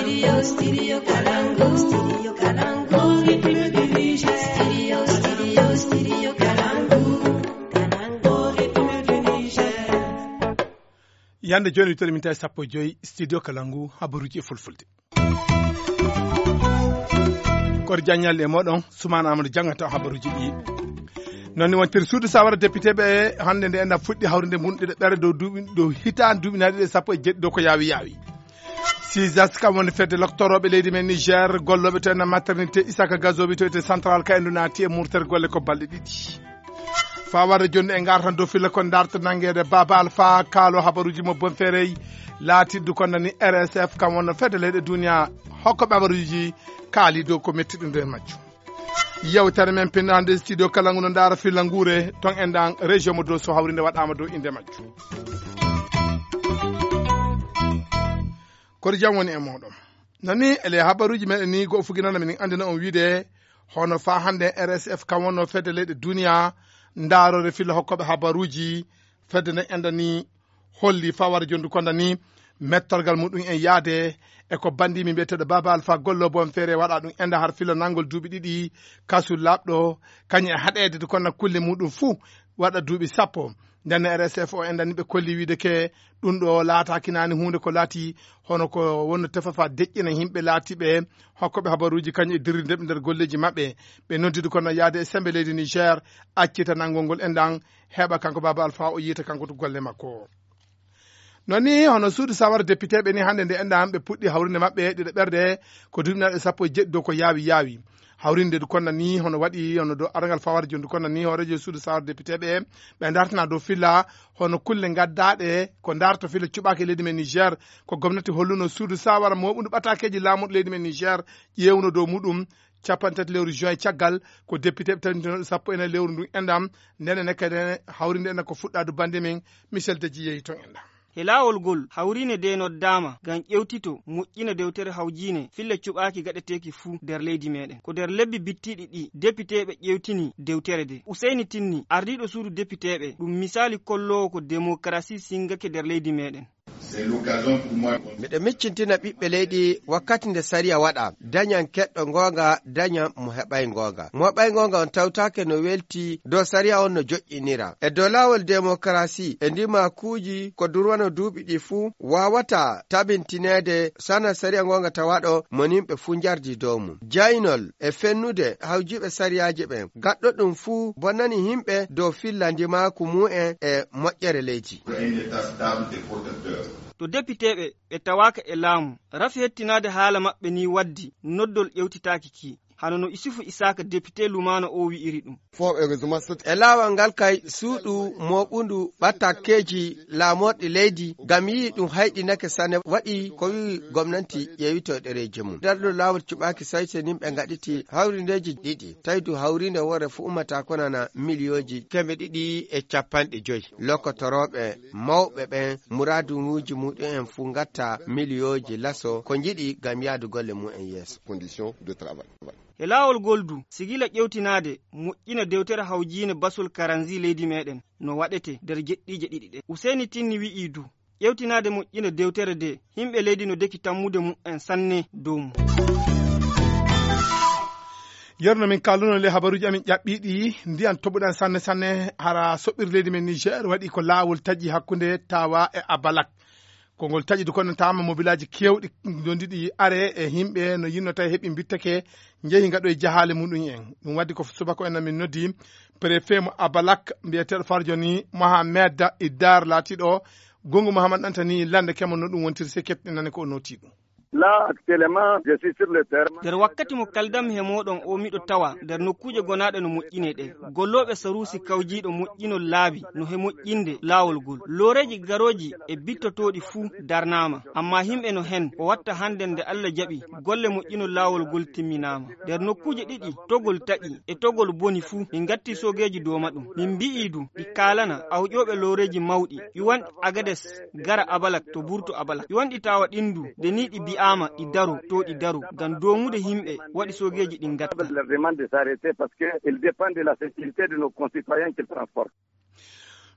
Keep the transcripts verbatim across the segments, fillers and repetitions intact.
Studio, Studio Kalangu, Studio Kalangu, République du Niger. Studio, Studio, Studio Kalangu, Kalangu, République du Niger. Yande jooni, wittere min tawi sappo e joyi, Studio Kalangu, habaruuji e fulfulde. Koto jaññalle e mooɗon, Sumaana Amadou janngata habaruuji ɗi. Noon ni wontiri suudu sawara député ɓe hannde nde enɗam fuɗɗi hawrinde mum ɗiɗo ɓere dow duuɓi, dow hitaande duuɓi nayi ɗiɗi e sappo e jeɗɗi dow ko yaawi yaawi. Sisas kam woni fedde loktorooɓe leydi men Niger, gollooɓe to enɗam maternité Isaka Gazobi to ete central ka endu naati e murtere golle ko balɗe ɗiɗi. Fawade jonde e ngartan dow filla ko darta nanguede Baba Alpha kaalo habaruuji mo Bonferey laatiddu ko nani R S F kam wonno fedde leyɗe duniya hokkoɓe habaruuji kaali dow ko metti ɗum nder majjum. Yewtere men pinnaande studio kala ngu no ndaara filla nguure ton e ndan région mo Dosso hawrinde waɗaama dow innde majjum. Koto jam woni e mooɗon. Nani ele habaruuji meɗen ni go fuginana min andina on wiide hono fa hande R S F kam wonno fedde leyɗe duniya ndaarore filla hokkoɓe habaruuji fedde nde enda ni holli fa wara jondu konda ni mettorgal muɗum en yaade e ko bandimi mbiyeteɗo Baba Alpha Gollo Bonferey waɗa ɗum enda har filla nangol duuɓi ɗiɗi kasu laɓɗo kañum e haɗede de konna kulle muɗum fuu waɗa duuɓi sappo. Nden R S F o enda ni ɓe kolli wiide ke ɗum ɗo laataki nani huunde ko laati hono ko wonno tefafa deƴƴina yimɓe laatiɓe hokkoɓe habaruuji kañum e dirri ndeɓe nder golleeji maɓɓe. Ɓe noddidu kono yaade e sembe leydi Niger accita nangol ngol endan heɓa kanko Baba Alpha o yiita kanko to golle makko. Noon ni hono suudu sawara député ɓe ni hannde nde enɗam ɓe puɗɗi hawrinde maɓɓe ɗiɗo ɓerde ko duuɓi naɗe sappo e jeɗɗi dow ko yaawi yaawi. Hawrinde du konna ni hono waɗi hono dow arangal fawara jondu konna ni hoorejo suudu sawara député ɓe ɓe dartana dow filla hono kulle gaddaɗe ko darto filla cuɓaki leydi men Niger ko gomnati holluno suudu sawara moɓudu ɓatakeji laamuɗo leydi men Niger ƴewno dow muɗum capanɗe tati lewru juin caggal ko député ɓe tawintono sappo e nayi lewru ndun endam. Ndene ne kadi hawrinde ena ko fuɗɗadu bande men Michel Deji yehi ton endam. He laawol ngol, hawriine ndee noddaama ngam ƴeewtito moƴƴina dewtere hawjiine filla cuɓaaki gaɗeteeki fuu nder leydi meeɗen. Ko nder lebbi bittiiɗi ɗii, depiteeɓe ƴeewtini dewtere ndee. Useyni Tinni, ardiiɗo suudu depiteeɓe, ɗum misaali kolloowo ko demokarasi singake nder leydi meeɗen. Miɗo miccintina ɓiɓɓe leydi wakkati nde sariya waɗa, dañan keɗɗo ngoonga, dañan mo heɓay ngoonga. Mo heɓay ngoonga on tawtaake no welti dow sariya on no joƴƴinira. E dow laawol demokarasi, e ndimakuuji ko durwano duuɓi ɗi fuu, waawata tabintineede sana sariya ngoonga tawaɗo mo nimɓe fuu njardi dow mum. Jaynol e fennude hawjiiɓe sariyaaji ɓen, gaɗɗo ɗum fuu bonnani yimɓe dow filla ndimaaku mu'en e moƴƴere leydi. To depiteeɓe ɓe tawaaka e laamu, rafi hettinaade haala maɓɓe nii waddi noddol ƴewtitaaki kii, hano no Isufu Isaaka depitee Lumaana oo wi'iri ɗum. E laawol ngal kay, suuɗu mooɓundu ɓattakkeeji laamorɗi leydi, ngam yi'i ɗum hayɗinake sanne, waɗi ko wi'i gomnanti ƴeewito ɗereeji mum. Nder ɗum laawol cuɓaaki sayseninɓe ngaɗiti hawrindeeji ɗiɗi, tawi du hawrinde woore fuu ummata ko nana miliyooji teemedde ɗiɗi e capanɗe joyi. Lokotorooɓe mawɓe ɓen muraaduuji muɗum en fuu ngatta miliyooji laso ko njiɗi ngam yaadu golle mum en yeeso. Condition de travail. E laawol ngol du, sigila ƴewtinaade moƴƴina dewtere hawjiine basol karanzi leydi meeɗen no waɗete nder jeɗɗiije ɗiɗi ɗe. Useyni Tinni wi'ii du, ƴewtinaade moƴƴina dewtere nde, yimɓe leydi no deki tammude mum en sanne dow mum. Yerno min kalluno le habaruuji amin ƴaɓɓiiɗi ndiyan toɓuɗan sanne sanne hara soɓɓir leydi men Niger waɗi ko laawol taƴi hakkunde Tawa e Abalak. Ko ngol taƴi du konnataama mobilaaji keewɗi dondiɗi are e yimɓe no yinno tawi heɓi mbittake njehi ngaɗo e jahaale muɗum en. Ɗum waddi ko subaka en min noddi préfet mo Abalak mbiyeteeɗo farjo ni Mohamed Iddar laatiiɗo Gongu Muhammad Antani lande kemo no ɗum wontiri se keɓtinane ko o nooti ɗum. Là, actuellement, je suis sur le terrain. Nder wakkati mo kaldammi he mooɗon o miɗo tawa nder nokkuuje gonaaɗe no moƴƴinee ɗe. Gollooɓe saruusi kawjiiɗo moƴƴinol laabi no he moƴƴinde laawol ngol. Looreeji garooji e bittotooɗi fuu darnaama. Ammaa yimɓe no heen o watta hannde nde Allah jaɓi golle moƴƴinol laawol ngol timminaama. Nder nokkuuje ɗiɗi togol taƴi e togol boni fuu min ngatti soogeeji dooma ɗum. Min mbi'ii du ɗi kaalana awƴooɓe looreeji mawɗi ƴuwanɗi Agades gara Abalak to burtu Abalak. Ƴuwanɗi tawa ɗin du nde nii ɗi bi'aama ɗi daro to ɗi daro ngam doomude yimɓe waɗi soogeeji ɗin ngatta. Leur demande de s'arrêter parce que ils dépendent de la sécurité de nos concitoyens qu'ils transportent.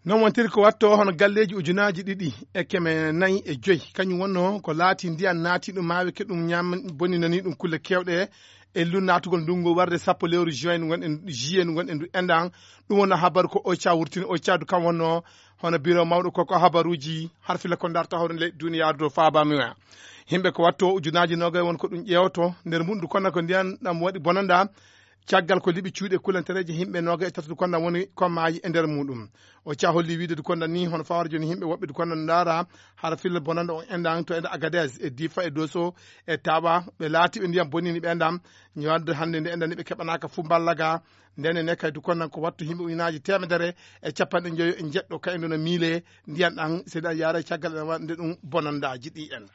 Non wontiri ko watto hono galleeji ujunaaji ɗiɗi e keme nayi e joyi, kañum wonno ko laati ndiyan naati ɗum maawe ke ɗum ñaam boninani ɗum kulle keewɗe e lu naatugol ndungu warde sappo lewru juin ndu ngonɗen juillet ndu ngonɗen ndu enɗan. Ɗum wonno habaru ko oca wurtini oca du kam wonno hono biro mawɗo koko habaruuji har fila ko darta hawre leyɗe duniyaaru dow faabamiwa. Yimɓe ko watto ujunaaji nogay won ko ɗum ƴeewoto nder mum ndu konna ko ndiyan ɗam waɗi bonanda. Caggal ko liɓi cuuɗi e kulantereeji yimɓe noga e tati du konna woni kommaaji e nder muɗum. O caholli wiide du konna ni hono fawar joni yimɓe woɓɓe du konna ndaara hara filla bonanda on endan to enda agades e difa e doso e tawa ɓe laati ɓe ndiyam bonnini ɓe ndam. Ñowadde hannde nde endan ni ɓe keɓanaka fu mballaga. Ndene ne kay du konna ko wattu yimɓe ujunaji temedere e capanɗe joyo e jeɗɗo kaydo no miile ndiyan ɗan seeɗa yaara e caggal ene wande ɗum bonandaaji ɗi endan.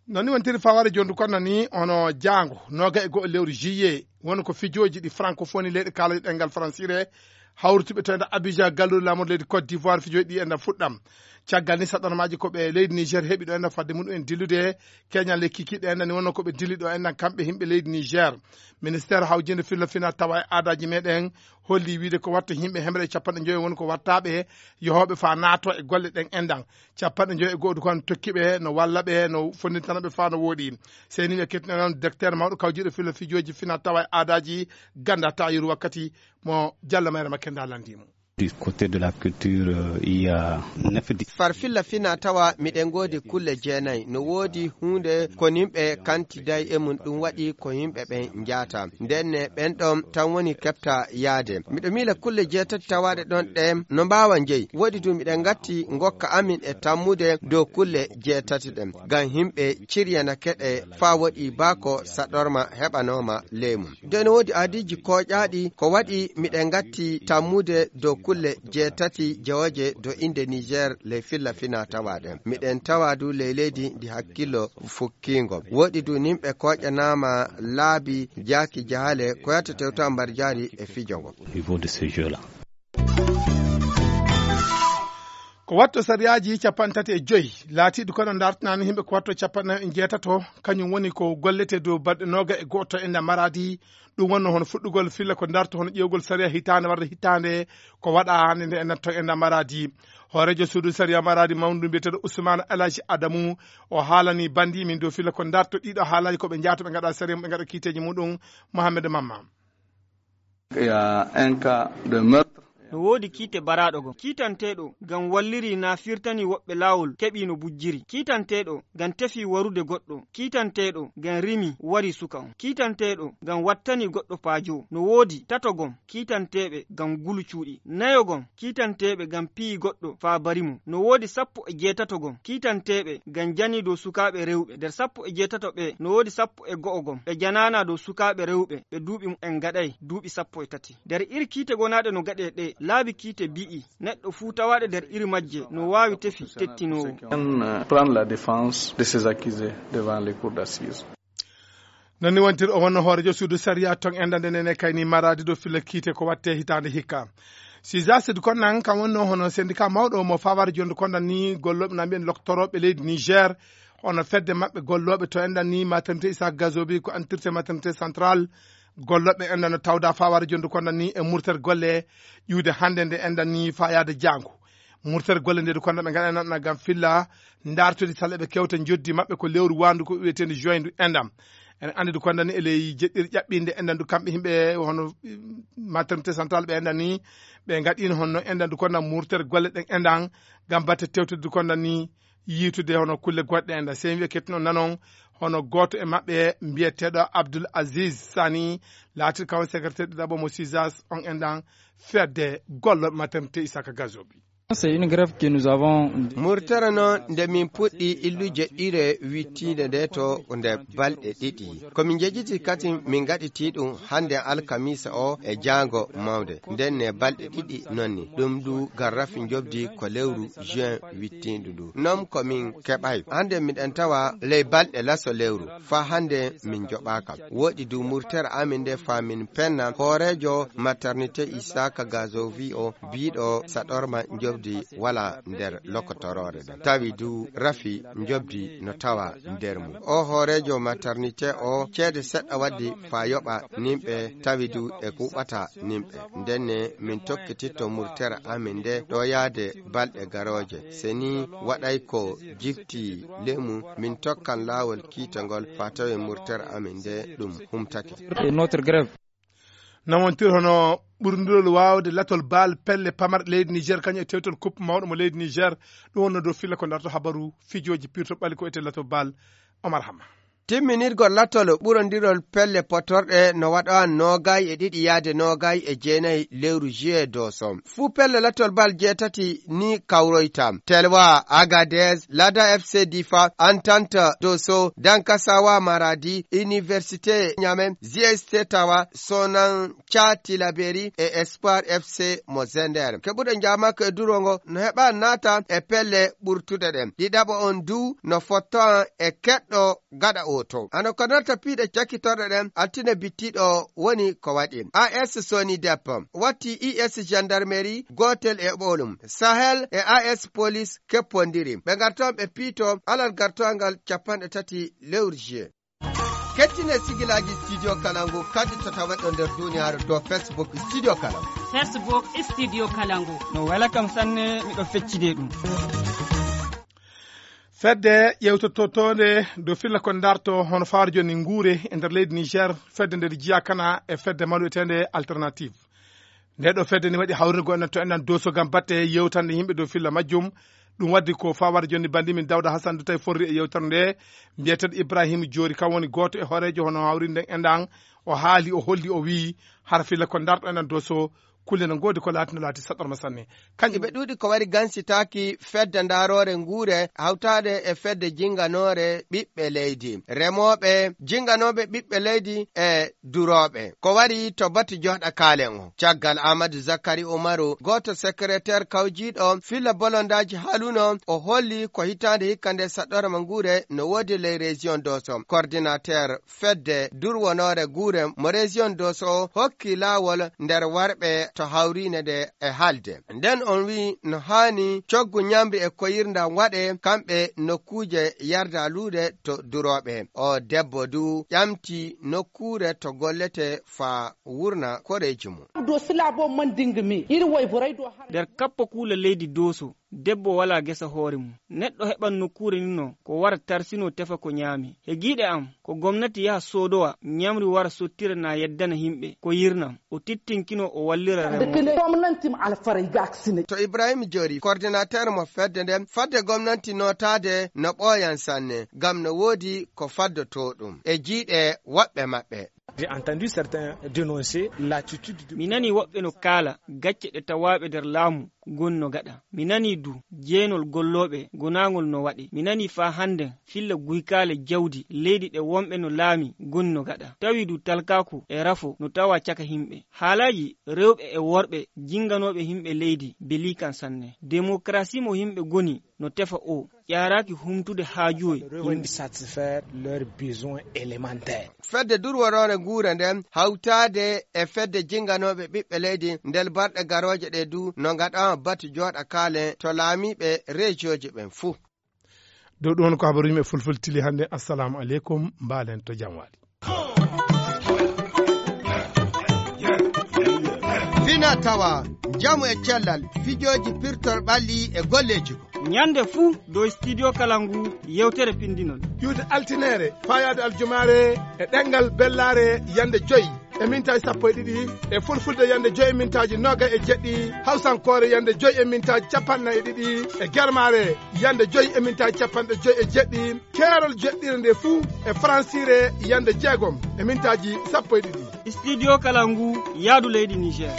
Non ni wontiri faware jondu kono ni hono jaango noga e go'o lewru juillet woni ko fijooji ɗi francophonie leyɗe kaalaji ɗengal francire hawrutuɓe to enda abidjan galluɗo laamorde leydi côte d'ivoire fijooji ɗi enda fuɗɗam. Caggal ni saɗɗormaji ko ɓe leydi niger heɓi ɗo enda fadde muɗum en dillude keñal le kikiɗe enda ni wonno koɓe dilli ɗo endan kamɓe yimɓe leydi niger. Ministére hawjinde filla fina tawa e aadaji meɗen holli wiide ko watta yimɓe hemre e capanɗe joyi woni ko wattaɓe yohoɓe fa naato e golle ɗen endan. Capanɗe joyi e go'o du kon tokkiɓe no walla ɓe no fondintana ɓe fa no woɗi. Seni ɓe kettina noon docteur mawɗo kawjiɗo filo fijoji fina tawa e aadaji ganda ta yeru wakkati mo jalla mayre makke nda landimo. Du côté de la culture, euh, il y a neuf di- Far filla fina tawa miɗen ngoodi kulle jeenayi no woodi huunde ko nimɓe kantiday e mum ɗum waɗi ko yimɓe ɓen njaata. Ndenne ɓen ɗon tan woni keɓta yaade. Miɗo miila kulle jeetati tawaaɗe ɗon ɗe no mbaawa njeyi. Woodi du miɗen ngatti ngokka amin e tammude dow kulle jeetati ɗen. Ngam yimɓe ciryana keɗe faa woɗi baa ko saɗorma heɓanooma ley mum. Nden woodi aadiiji kooƴaaɗi ko waɗi miɗen ngatti tammude dow kulle jeetati jewoje dow innde Niger ley filla fina tawaaɗe. Miɗen tawa du ley leydi ndi hakkillo fukkiingo. Woodi du nimɓe kooƴanaama laabi jaaki jahaale ko yahata tewta mbarjaari e fijo ngo. Au niveau de ce jeu-là. Ko watto sariyaaji capanɗe tati e joyi laatiiɗi kono ndartanaani yimɓe ko watto capanɗe nayi e jeetato kañum woni ko gollete dow balɗe nooga e gooto e nder maraadi. Ɗum wonno hono fuɗɗugol filla ko ndarto hono ƴeewgol sariya hitaande warde hitaande ko waɗa hannde nde e natto e nder maraadi. Hooreejo suudu sariya maraadi mawndu mbiyeteeɗo Ousmane Alhaji Adamu o haalani bandi min dow filla ko ndarto ɗiɗo haalani ko ɓe njaata ɓe ngaɗa sariya ɓe ngaɗa kiiteeji muɗum. Mohamed Mamma. Il y a un cas de meurtre. No woodi kiite baraaɗo gom kiitanteeɗo ngam walliri na firtani woɓɓe laawol keɓi no bujjiri kiitanteeɗo ngam tefi warude goɗɗo kiitanteeɗo ngam rimi wari suka on kiitanteeɗo ngam wattani goɗɗo paajo. No woodi tato gom kiitanteeɓe ngam gulu cuuɗi nayo gom kiitanteeɓe ngam piyi goɗɗo faa bari mo. No woodi sappo e jeetato gom kiitanteeɓe ngam jani dow sukaaɓe rewɓe nder sappo e jeetato ɓe no woodi sappo e go'o gom ɓe janaana dow sukaaɓe rewɓe ɓe duuɓi mumen ngaɗay duuɓi sappo e tati. Nder iri kiite gonaaɗe no gaɗee ɗe laabi kiite bi'i neɗɗo fuu tawaaɗe nder iri majje no waawi tefi tettinoowo. Prendre la défense de ces accusés devant les cours d'assises. Non ni wontir o wonno hoorejo suudu sariya ton enda nde nene kayni maradi ɗo filla kiite ko watte hitaande hikka. Sisas du konnan kam wonno hono syndicat mawɗo mo fawar jonde kondan ni golloɓe na mbiyen loktoroɓe leydi Niger hono fedde maɓɓe golloɓe to endan ni maternité Issa Gazobi ko entirte maternité centrale. Golloɓe endan no tawda fawar jonde kondan ni e murter golle ƴuwde hannde nde endan ni fa yaade jango. Murter golle nde du kondan ɓe ngaɗa nan gam filla ndartudi saleɓe kewta joddi maɓɓe ko lewru wandu ko wiyetendi juin du endam. En andi du kondan ni e ley jeɗɗir ƴaɓɓinde endan du kamɓe yimɓe hono maternité centrale ɓe endan ni ɓe ngaɗino honno endan du kondan murter golle ɗen endan gam batte tewtude du kondan ni yiitude hono kulle goɗɗe endan sey wiye kettuno nanon hono gooto e maɓɓe mbiyeteɗo Abdoul Aziz Sani laatir kawan secrétaire ɗiɗaɓo mo sisas on endan fedde gollo maternité Isaka Gazobi. C'est une grève que nous avons. Murtere noon nde min puɗɗi illuje ɗire wittiinde nde to nde balɗe ɗiɗi. Ko min njejjiti kadi min ngaɗiti ɗum hannde alkamisa o e jaango mawnde. Nden ne balɗe ɗiɗi noon ni. Ɗum du garrafi njobdi ko lewru juin wittiindu ndu. Noon ko min keɓay. Hannde miɗen tawa ley balɗe laso lewru. Faa hannde min njoɓaaka. Woɗi du murtere amin nde faa min penna hooreejo maternité Isaka Gazovi o biiɗo saɗorma njoɓdi. di wala nder lokotoroore ɗen. Tawi du rafi njobdi no tawa nder mum. O hooreejo maternité o, ceede seɗɗa waddi faa yoɓa nimɓe, tawi du e kuɓata nimɓe. Ndenne min tokkititto murtere amin nde ɗo yaade balɗe garooje. Se ni waɗay ko jifti lemu, min tokkan laawol kiitangol faa tawi murtere amin nde ɗum humtake. Et notre grève. Namontir hono ɓurndurol waawde latol baal pelle pamarɗe leydi Niger, kañum e tewtol kuppe mawɗo mo leydi Niger. Ɗum wonno dow filla ko darto habaru fijooji pirto ɓali ko ete latol baal. Omar Hamma. Timminirgol latol ɓurondirol pelle potorɗe no waɗa noogay e ɗiɗi yaade noogay e jeenay lewru juillet doso. Fuu pelle latol bal jeetati ni kawroyta. Telwa, Agadez, Lada F C Difa, Entente Doso, Dankasawa Maradi, Université Niamey, G S T Tawa, Sonan Ca Tilaberi e Espoir F C mo Zender. Keɓuɗo njaamaaka e duro ngo no heɓa naata e pelle ɓurtuɗe ɗen. Ɗiɗaɓo on du no fotto e keɗɗo gaɗa oto. Hano ko nanta piiɗe cakkitorɗe ɗen, altine bittiiɗo woni ko waɗi. A S Soni Dep watti I S gendarmerie gootel e ɓoolum. Sahel e A S police keppondiri. Ɓe ngarton ɓe piito alal gartoongal cappanɗe tati lewru juillet. Kettine sigilaaji Studio Kalangu kadi to taweɗo nder duniyaaru dow Facebook Studio Kalangu. Facebook Studio Kalangu. No wela kam sanne, miɗo feccide ɗum. Fedde ƴewtottoonde dow filla ko darto hono fawaade jooni nguure e nder leydi Niger, fedde nde jiya kana e fedde maluyeteende Alternative. Nde ɗo fedde ni waɗi hawrinde goo enen to enen Doso ngam batte yewtande yimɓe dow filla majjum. Ɗum waddi ko fawaade jooni bandi min Dawda Hassan du tawi forri e yewtere nde. Mbiyeteeɗo Ibrahim Joori kam woni gooto e hooreejo hono hawrinde nden enɗan. O haali, o holli, o wiyi hara filla ko darto enen Doso, kulle no ngoodi ko laati no laati saɗɗorma sanne. Kañum ɓe ɗuuɗi ko wari gansitaaki fedde ndaaroore nguure hawtaade e fedde jinnganoore ɓiɓɓe leydi. Remooɓe, jinnganooɓe ɓiɓɓe leydi e durooɓe. Ko wari to batu jooɗa kaalen o. Caggal Amadou Zakari Umaru, gooto sekreteer kawjiiɗo filla bolondaaji haaluno, o holli ko hitaande hikka nde saɗɗorma nguure no woodi ley région Doso. Coordinateur fedde durwonoore guure mo région Doso hokki laawol nder warɓe to hawriine nde e haalde. Nden on wi'i no haani coggu ñamri e koyirndam waɗe kamɓe nokkuuje yarda luude to durooɓe. O debbo du ƴamti nokkuure to gollete faa wurna koreeji mum. Doso laabo mandinga mi, iri woy boray do har. Nder kappo kuula leydi Doso, debbo walaa gesa hoore mum. Neɗɗo heɓan nokkuure ni no, ko wara tarsinoo tefa ko ñaami. He giiɗe am, ko gomnati yaha soodowa ñamri wara sottira na yeddana yimɓe ko yirnam. O tittinkinoo o wallira remooɓe. Gomnanti mo alfaray gaksine. To Ibrahim Joori, coordinateur mo fedde nden, fadde gomnanti nootaade no ɓooyan sanne, ngam no woodi ko faddotoo ɗum e jiiɗe woɓɓe maɓɓe. J'ai entendu certains dénoncer l'attitude de. Mi nanii woɓɓe no kaala gacce ɗe tawaaɓe nder laamu gon no gaɗa. Mi nanii du jeenol gollooɓe gonaangol no waɗe. Mi nanii faa hannden filla guykaale jawdi leydi ɗe wonɓe no laami gon no gaɗa. Tawi du talkaaku e rafo no tawaa caka yimɓe. Haalaaji rewɓe e worɓe jinnganooɓe yimɓe leydi belii kan sanne. Demokarasi mo yimɓe goni no tefa o ƴaaraaki humtude haajuuji yimɓe. Satisfaire leurs besoins élémentaires. Fedde durworoore nguure nden hawtaade e fedde jinnganooɓe ɓiɓɓe leydi nder balɗe garooje ɗe du no ngaɗa batu jooɗa kaalen to laamiiɓe rejiyooji ɓen fuu. Dow ɗum woni ko habaruuji men fulfultili hannde. Assalamu aleykum, mbaalen to jam waali. Fina tawa, njamu e cellal, fijooji pirtol ɓalli e golleeji. Ñande fuu dow Studio Kalangu yewtere pinndinol. Iwde altineere, faayaade aljumaare e ɗemngal bellaare yande joy e mintaaji sappo e ɗiɗi, e fulfulde yande joy e mintaaji noogay e jeɗɗi, hawsankoore yande joy e mintaaji cappanɗe nayi e ɗiɗi, e germaare yande joy e mintaaji cappanɗe joy e jeɗɗi, keerol joɗɗire nde fuu e faransiire yande jeegom e mintaaji sappo e ɗiɗi. Studio Kalangu, yaadu leydi Niger.